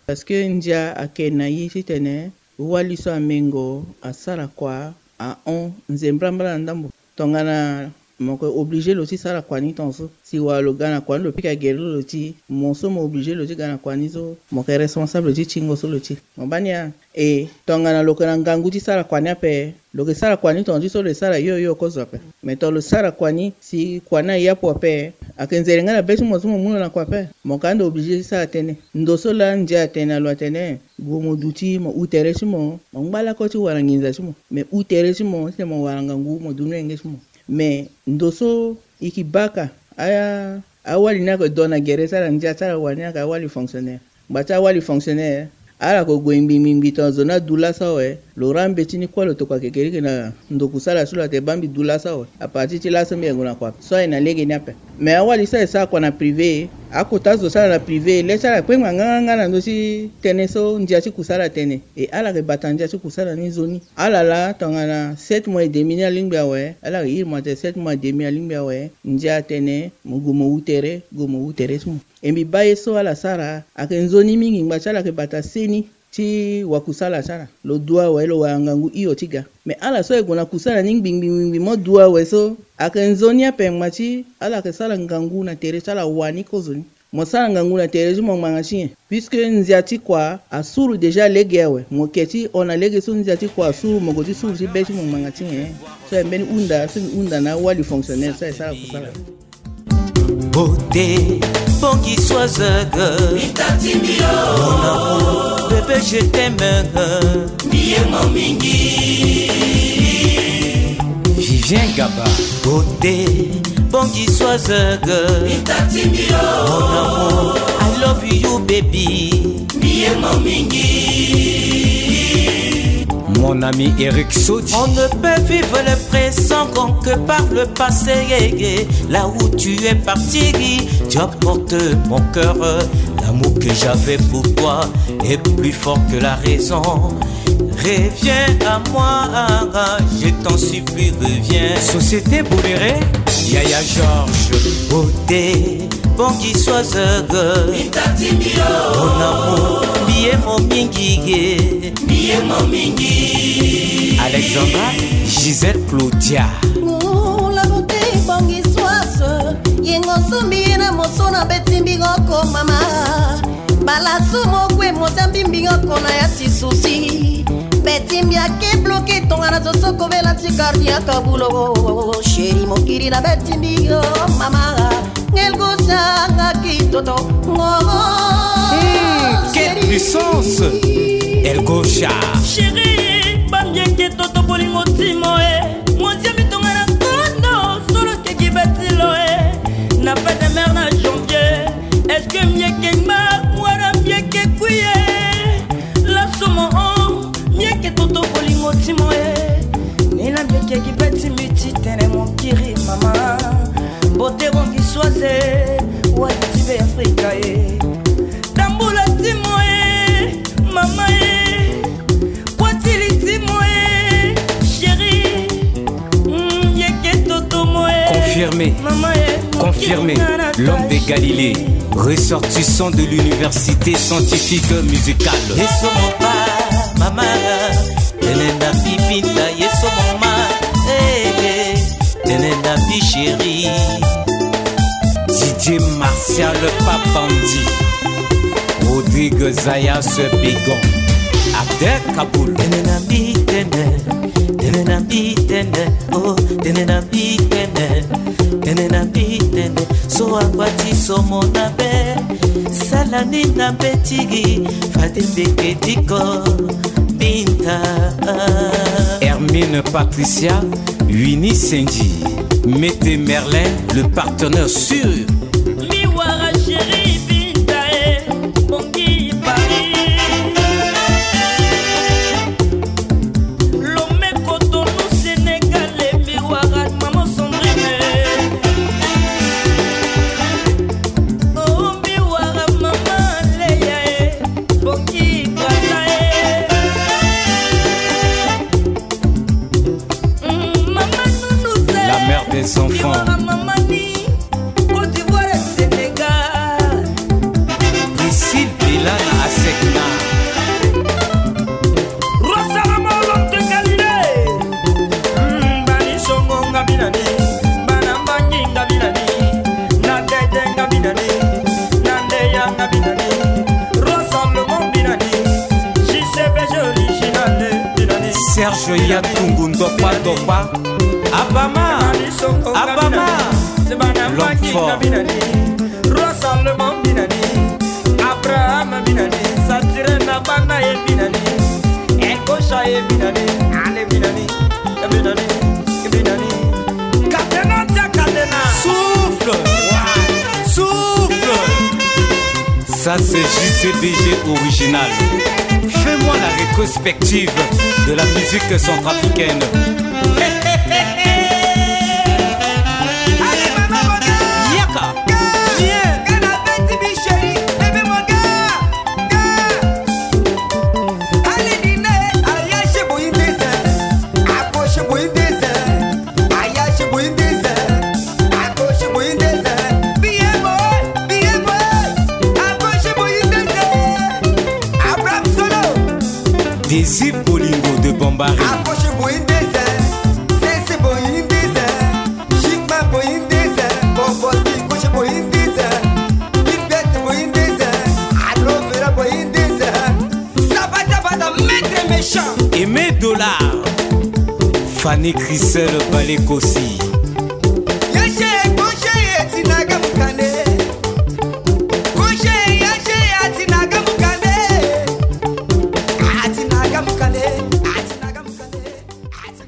Parce que ndia ayeke na ye titene wali so amengo asara kua ahon nzembrambra na ndambo. Tongana mo yeke obligé lo ti sara kua ni tongaso, si wala lo ga na kua ni lo pika gere lo ti, mo so mo obligé lo ti ga na kua ni so, mo yeke responsable ti tingo so lo ti. Mo baa ni a? E tongana lo yeke na ngangu ti sara kua ni ape, lo yeke sara kua ni tonga ti so lo ye sara yo yo kozo ape. Me tongana lo sara kua ni si kua ni aye apo ape, ayeke nzere nga na be ti mo so mo mu lo na kua ape. Mo yeke ande obligé ti sara tënë. Ndo so laa ndia atene na lo atene gue mo duti mo hu tere ti mo, mo ngba lakue ti wara nginza ti mo. Me hu tere ti mo titene mo wara ngangu mo du ni lenge ti mo. Me ndo so e ke baka a, awali ni ayeke do na gere ti ala, ndia ti ala wani ayeke awali fonctionnaire. Ngbanga ti awali fonctionnaire, ala yeke gue ngbi ngbi ngbi tongana zo ni adu laso awe, lo ra mbeti ni kue lo tokua kekereke na ndo kusala ti lo atene baa mbi du laso awe. À partir ti laso mbi yeke gue na kua so aye na lege ni ape. Me awali so aye sara kua na privé, akota zo ti ala na privé le ti ala kpengba nganganga na ndö ti tënë so ndia ti kusala atene. E ala yeke bata ndia ti kusala ni nzoni. Ala laa tongana sept mois et demi ni alingbi awe, ala yeke iri mo atene sept mois et demi alingbi awe, ndia atene mo gue mo hu tere, gue mo hu tere ti mo. E mbi baa ye so ala sara ayeke nzoni mingi. Ngbanga ti ala ayeke bata seni ti wakusala ti ala. Lo du awe lo wara ngangu hio ti ga. Me ala so aye gue na kusala ni ngbi ngbi ngbi ngbi mo du awe so, ayeke nzoni ape ngbanga ti ala yeke sara ngangu na tere ti ala wani kozo ni. Mo sara ngangu na tere ti mo ngbanga ti nyen? Puisque ndia ti kua asuru déjà lege awe. Mo yeke ti hon na lege so ndia ti kua asuru, mo gue ti suru ti be ti mo ngbanga ti nyen? So aye mbeni hunda so mbi hunda na awali fonctionnaire so aye sara kusala. Beauté, Bongi Soizeg. Mon amour, bébé, je t'aime. Mbi ye mo mingi. Vivien Gaba. Beauté, Bongi Soizeg. Mon amour, I love you, baby. Mbi ye mo mingi. Mon ami Eric Sodi. On ne peut vivre le présent que par le passé. Là où tu es parti, tu as porté mon cœur. L'amour que j'avais pour toi est plus fort que la raison. Reviens à moi, je t'en supplie, reviens. Société Boléré, Yaya Georges. Beauté, Bongi Soizeg. Mon amour, mbi ye mo mingi ye. Mbi ye mo mingi. Alexandra, Gisèle, Claudia. Oh, la beauté, Bongi Soizeg. Yengo so mbi ye na mo so na beti mbi oko mama. Bala so mo kue mo za mbi mbi oko na ya ti souci. Beti mbi ake bloqué tongana zo so kobela ti cardiaque bulo. Chéri mo kiri na beti mbi o mama. Ngelgo sanga kitoto ngo. Hmm, quelle puissance. Elgocha. Chéri, bambi eke toto bolingo timo e. Mozi ya mitonga na kondo, solo keki betilo e. Na fête de mère na Jean Pase, wati be Afrika e. Tambula timo e, mama e. Watili timo e, chéri. Mm, yeke toto mo e. Confirmé. Mama e. Confirmé. L'homme de Galilée, ressortissant de l'université scientifique musicale. Yeso mo pa, mama. Tene na bibinda, yeso mo ma. Eh, eh. Tene na bi chéri. Didier Martial Papandi, Rodrigue Zayas Bégon, Abdel Kaboul. Tene na bi tene, tene na bi tene, oh, tene na bi tene, tene na bi tene. So agbati so mo na be, sala ni na be tigi, fade mbeke diko, binta. Hermine Patricia, Winnie Senji, Mete Merlin, le partenaire sûr. Mi wara chéri binta e, bongi Paris. Lomé Cotonou Sénégal e, mi wara maman Sandrine. Oh, mi wara maman Leya e, bongi Brazza e. La mère des enfants. Priscille Bella na Asekna. Rosalama Olompe Galilée. Mbani songo nga binani, bana mbangi nga binani, na dede nga binani, na ndeya nga binani, Rosalama binani, J C B G original binani. Serge Yatungu Ndopa Ndopa. Abama, Abama, l'homme fort. Rosalomon binani, Abraham binani, Saturne na bana ye binani, Ekosha ye binani, ale binani, binani, binani. Katena tia katena. Souffle, souffle. Ça, c'est J C B G original. Fais-moi la rétrospective de la musique centrafricaine. Allez, maman, yaka. Viens. Kana beti bi chéri, bébé mon gars. Allez, dîner, allez, chez Boyindé. Accroche Boyindé. Aya chez Boyindé. Accroche Boyindé. Bien boy, bien boy. Accroche Boyindé. Abraham Solo. Désir Bolingo de Bombari. Accroche Boyindé. C'est Boyindé. Chikma Boyindé. Boboski Koche Boyindé. Bibette Boyindé. Alo Vera Boyindé. Sabata bata maître méchant. Aimé Dollar. Fanny Christelle Balekosi. Yache, koche, etinaga mukane. Koche, yache, atinaga mukane. Atinaga mukane. Atinaga mukane.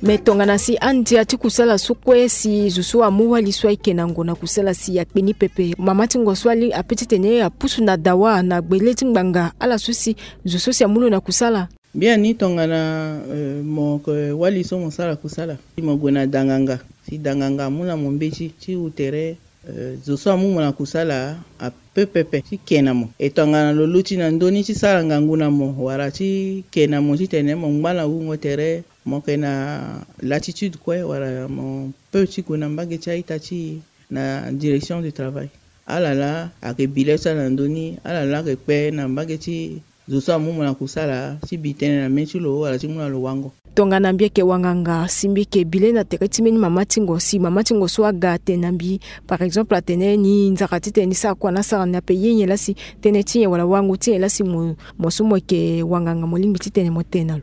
Me tongana si andia ti kusala so kue si zo so amu wali so ayeke na ngu na kusala si akpe ni pepe. Mama ti ngu so ali ape titene apusu na dawa na gbele ti ngbanga ala so si zo so si amu lo na kusala. Biani tongana, eh, mo yeke wali so mo sara kusala si mo gue na danganga, si danganga amu na mo mbeti ti wu tere, eh, zo so amu mo na kusala ape pepe ti ke na mo. E tongana lo luti na ndö ni ti sara ngangu na mo wala ti ke na mo titene mo ngba na wungo tere, mo yeke na latitude kue wala mo peut ti gue na mbage ti a-ita ti e na direction du travail. Ala laa ayeke bi le ti ala na ndö ni, ala laa ayeke kpe na mbage ti zo so amu mo na kusala ti bi tënë na mê ti lo wala ti mu na lo wango. Tongana mbi yeke wanganga si mbi yeke bi le na tere ti mbeni mama ti ngo, si mama ti ngo so aga atene na mbi, par exemple, atene ni nzara titene ni sara kua na asara ni ape, ye nyen laa si tënë ti nyen wala wango ti nyen laa si mo, mo so mo yeke wanganga mo lingbi titene mo tene na lo?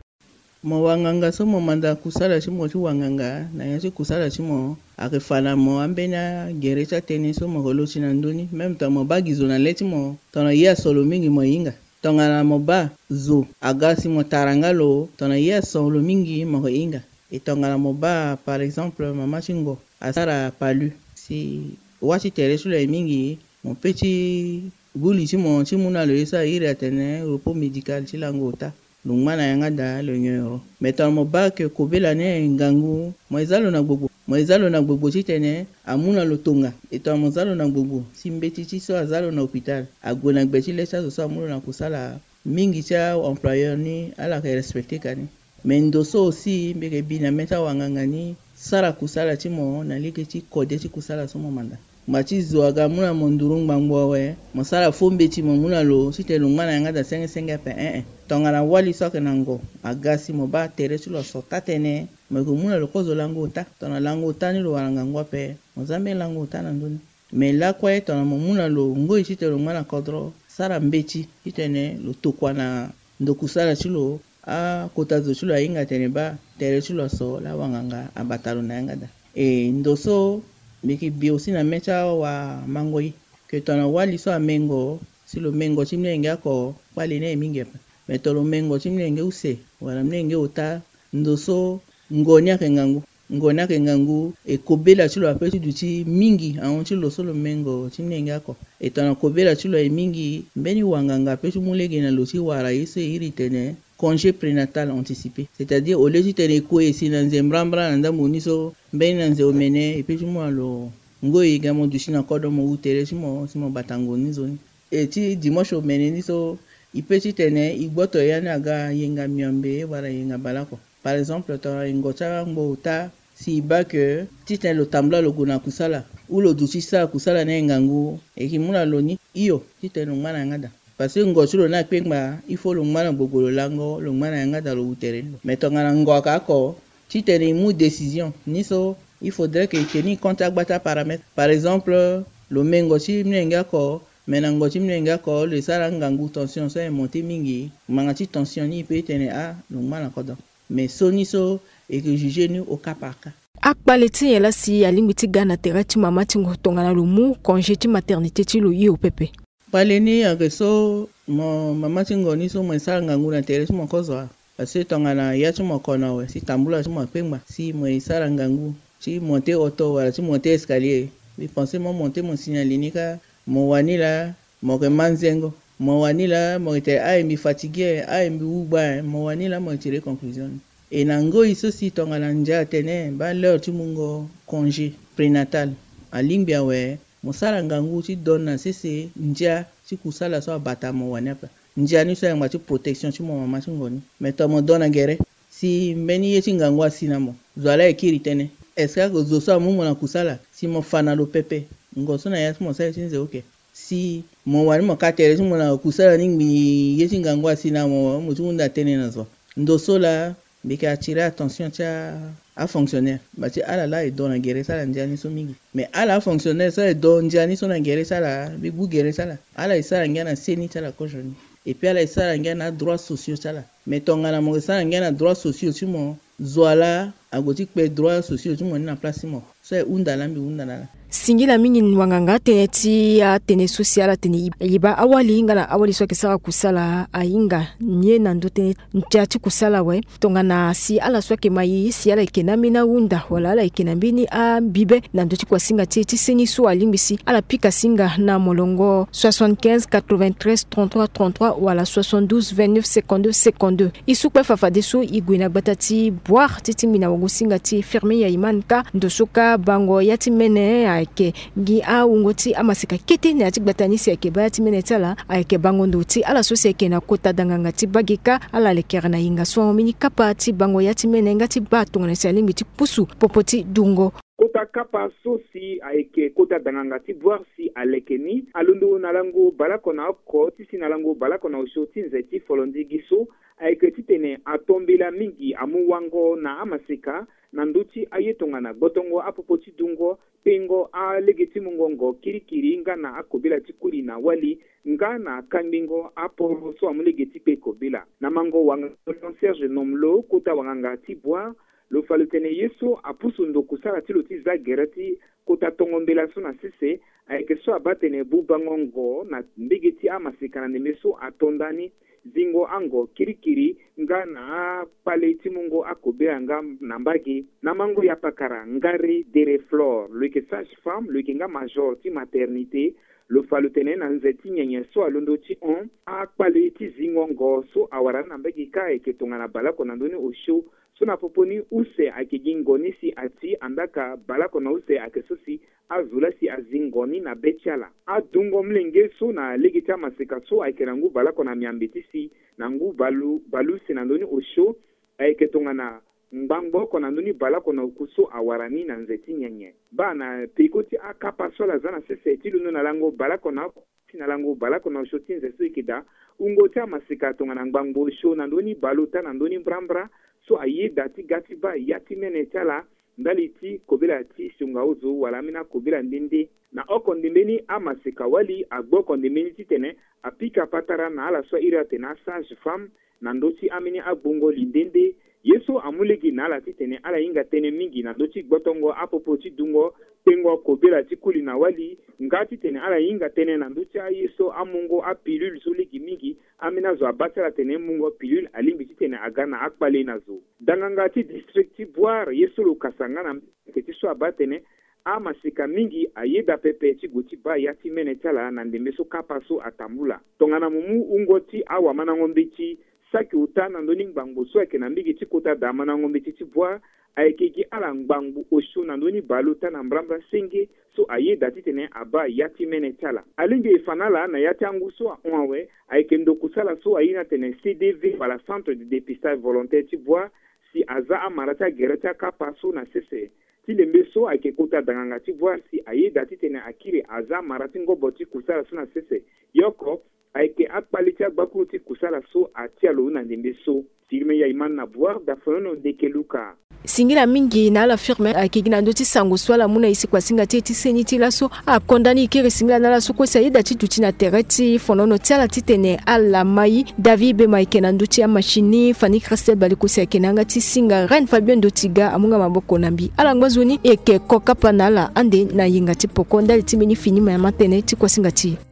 Mo wanganga so mo manda kusala ti mo ti wanganga na ya ti kusala ti mo, ayeke fa na mo ambeni agere ti atënë so mo yeke luti na ndö ni. Même tongana mo baa gi zo na le ti mo, tongana ye aso lo mingi mo hinga. Tongana mo baa zo aga si mo tara nga lo, tongana ye aso lo mingi mo yeke hinga. E tongana mo baa, par exemple, mama ti ngo asara palu, si wâ ti tere ti lo aye mingi, mo pe ti gbu li ti mo ti mu na lo ye so a iri atene repos médical ti lango ota. Lo ngba na yanga daa lo nyon ero. Me tongana mo baa ke kobela ni aye ngangu, mo ye zia lo na gbogbo. Mo ye za lo na gbogbo titene amu na lo tonga. E tongana mo za lo na gbogbo si mbeti ti so aza lo na hôpital ague na gbe ti le ti azo so amu lo na kusala, mingi ti a-employeur ni ala yeke respecter ka ni. Mais ndo so aussi mbi yeke bi na mê ti awanganga ni, sara kusala ti mo na lege ti kode ti kusala so mo manda. Ngba ti zo aga amu na mo nduru ngbangbo awe, mo sara fo mbeti mo mu na lo titene lo ngba na yanga daa senge senge ape, eh eh. Tongana wali so ayeke na ngo aga si mo baa tere ti lo aso taa tënë, mo yeke mu na lo kozo lango ota. Tongana lango ota ni lo wara ngangu ape, mo za mbeni lango ota na ndö ni. Mais lakue tongana mo mu na lo ngoi titene lo ngba na kodro, sara mbeti titene lo tokua na ndo kusala ti lo, akota zo ti lo ahinga atene baa tere ti lo aso laa wanganga abata lo na yanga daa. E ndo so mbi yeke bi aussi na mê ti awamangoi, ke tongana wali so amengo, si lo mengo ti molenge oko, kpale ni aye mingi ape. Mais tongana lo mengo ti molenge use wala molenge ota, ndo so ngo ni ayeke ngangu. Ngo ni ayeke ngangu, e kobela ti lo ape ti duti mingi ahon ti lo so lo mengo ti molenge oko. E tongana kobela ti lo aye mingi, mbeni wanganga ape ti mu lege na lo ti wara ye so e iri tene congé prénatal anticipé. C'est-à-dire au lieu titene e kue e si na nze mbrambra na ndambo ni so, mbeni na nze omene e peut ti mu na lo ngoi ga mo duti na kodro mo wu tere ti mo si mo bata ngu ni nzoni. E ti dimanche omene ni so, e peut titene e gboto ya ni aga yenga miombe wala yenga baleoko. Par exemple tongana e ngo ti angbo ota, si e baa ke titene lo tambula lo gue na kusala, ou lo duti ti sara kusala ni aye ngangu, e yeke mu na lo ni hio titene lo ngba na yanga daa. Parce que ngo ti lo ni akpengba, il faut lo ngba na gbogbo lo lango, lo ngba na yanga daa lo wu tere ni lo. Mais tongana ngo ayeke oko, titene e mu décision ni so, il faudrait que e teni compte ti agba ti aparamètre. Par exemple lo mengo ti molenge oko, mais na ngo ti molenge oko lo ye sara angangu, tension so aye monté mingi, ngbanga ti tension ni e peut tene ah lo ngba na kodro. Mais so ni so e yeke juger ni au cas par cas. Akpale ti nyen laa si alingbi ti ga na tere ti mama ti ngo tongana lo mu congé ti maternité ti lo hio pepe? Kpale ni ayeke so, mo mama ti ngo ni so mo ye sara ngangu na tere ti mo kozo wa. Parce que tongana ya ti mo kono awe si tambula ti mo akpengba, si mo ye sara ngangu ti monté oto wala ti monté escalier, mbi pense mo monté mo signali ni kâ, mo wani laa mo yeke manzengo, mo wani laa mo yeke tene aye mbi fatigué, aye mbi wu gba, mo wani laa mo yeke tire conclusion ni. E na ngoi so si tongana ndia atene baa l'heure ti mungo congé prénatal alingbi awe, mo sara ngangu ti donne na sese ndia ti kusala so abata mo wani ape. Ndia ni so ayeke ngbanga ti protection ti mo mama ti ngo ni. Mais tongana mo donne na gere si mbeni ye ti ngangu asi na mo, zo wa laa e kiri tënë. Est-ce que ayeke zo so amu mo na kusala si mo fa na lo pepe? Ngo so na ya ti mo sara ye ti nze oke. Si mo wani mo ka tere ti mo na kusala ni ngbii ye ti ngangu asi na mo, mo ti hunda tënë na zo. Ndo so laa mbi yeke attirer attention ti afonctionnaire, mba ti ala laa e do na gere ti ala ndia ni so mingi. Mais ala afonctionnaire so aye do ndia ni so na gere ti ala, mbi gbu gere ti ala. Ala e sara ngia na seni ti ala kozo ni. Et puis ala e sara ngia na adroits sociaux ti ala. Mais tongana mo yeke sara ngia na droits sociaux ti mo, zo wa laa ague ti kpe droits sociaux ti mo ni na place ti mo. So aye hunda laa mbi hunda na ala. Singila mingi wanganga tënë ti atënë so si ala tene e baa awali nga na awali so ayeke sara kusala ahinga ni ye na ndö tënë ndia ti kusala awe. Tongana si ala so ayeke ma e si ala yeke na ambeni ahunda wala ala yeke na mbeni ambibe na ndö ti kuasinga ti e ti seni so alingbi si ala pika singa na molongo soixante-quinze quatre-vingt-treize trente-trois trente-trois wala soixante-douze vingt-neuf cinquante-deux cinquante-deux. E su kue fafadeso e gue na gbata ti Bouar ti tingbi na wagosinga ti Firmin Yaimane kâ. Ndo so kâ bango ya ti mene ayeke gi awungo ti amaseka kete na ya ti gbata ni si ayeke baa ya ti mene ti ala ayeke bango ndo ti ala so si ayeke na kota danganga ti bage kâ. Ala lekere na yenga so ahon mbeni kapa ti bango ya ti mene nga ti baa tongana si alingbi ti pusu popo ti dungo. Kota kapa so si ayeke kota danganga ti Bouar si aleke ni alondo na lango baleoko na oko ti si na lango baleoko na osio ti nze ti folondigi so ayeke titene atombela mingi amu wango na amaseka na ndö ti aye tongana gbotongo apopo ti dungo, pengo alege ti mungo ngo kirikiri nga na akobela ti kuli na wali nga na kangbingo aporo so amu lege ti kpe kobela. Na mango wanganga Serge Nomlo kota wanganga ti Bouar, lo fa lo tene ye so apusu ndo kusala ti lo ti za gere ti kota tongo mbela so na sese ayeke so abaa tene bubango ngo na mbege ti amaseka na ndembe so ato ndani, zingo ango kirikiri nga na akpale ti mungo akobela nga na mbage. Na mango ya pakara Ngari Dere Flore, lo yeke sage-femme, lo yeke nga major ti maternité, Lo fa lo tene na nze ti nyenye so alondo ti hon, akpale ti zingo ngo so awara ni na mbage kâ ayeke tongana baleoko na ndö ni osio. So na popo ni use ayeke gi ngo ni si ati, andaa ka baleoko na use ayeke so si azo laa si azi ngo ni na be ti ala. Adungo molenge so na lege ti amaseka so ayeke na ngu baleoko na miambe ti si na ngu balu, balu use na ndö ni osio, ayeke tongana ngbangbo oko na ndö ni baleoko na oku so awara ni na nze ti nyenye. Baa na peko ti akapa so ala za na sese ti londo na lango baleoko na oko ti na lango baleoko na osio ti nze so eke daa, wungo ti amaseka tongana ngbangbo osio na ndö ni baleota na ndö ni mbrambra so ayeda ti ga ti baa ya ti mene ti ala ndali ti kobela ti sionga ozo wala ambeni akobela nde nde. Na oko ndembe ni amaseka wali agbu oko ndembe ni titene apika patara na ala so a iri atene asage-femme na ndö ti ambeni agbongo li nde nde. Ye so amu lege na ala titene ala hinga tënë mingi na ndö ti gbotongo apopo ti dungo tengo kobela ti koli na wali, nga titene ala hinga tënë na ndö ti aye so amungo apilule so lege mingi. Ambeni azo abaa ti ala atene mungo pilule alingbi titene aga na akpale na zo. Danganga ti district ti Bouar ye so lo kasa nga na mbage ti so abaa atene amaseka mingi ayeda pepe ti gue ti baa ya ti mene ti ala na ndembe so kapa so atambula. Tongana mo mu wungo ti awamandango mbeti, saki ota na ndö ni ngbangbo so ayeke na mbage ti kota daa mandango mbeti ti Bouar, ayeke gi ala ngbangbo osio na ndö ni baleota na mbrambra senge so ayeda titene abaa ya ti mene ti ala. Alingbi e fa na ala na ya ti angu so ahon awe, ayeke ndo kusala so airi ni atene C D V wala Centre de Dépistage Volontaire ti Bouar, si aza amara ti agere ti akapa so na sese. Ti lembe so ayeke kota danganga ti Bouar si ayeda titene akiri aza amara ti ngobo ti kusala so na sese. Ye oko ayeke akpale ti agbakuru ti kusala so atia lo na ndembe so. Firmin Yaiman na Bouar, Dafonono Ndeke Luka. Singila mingi na ala Firmin ayeke gi na ndö ti sango so ala mu na e si kuasinga ti e ti seni ti laso. Akonda ni e kiri singila na ala so kue si ayeda ti duti na tere ti fonono ti ala titene ala mai. David Bema ayeke na ndö ti amachine ni, Fanny Christelle Balikosi ayeke na yanga ti singa, Reine Fabien Ndotiga amu nga maboko na mbi. Ala ngba nzoni e yeke ko kapa na ala ande na yenga ti poko ndali ti mbeni fini ma ya ma tënë ti kuasinga ti e.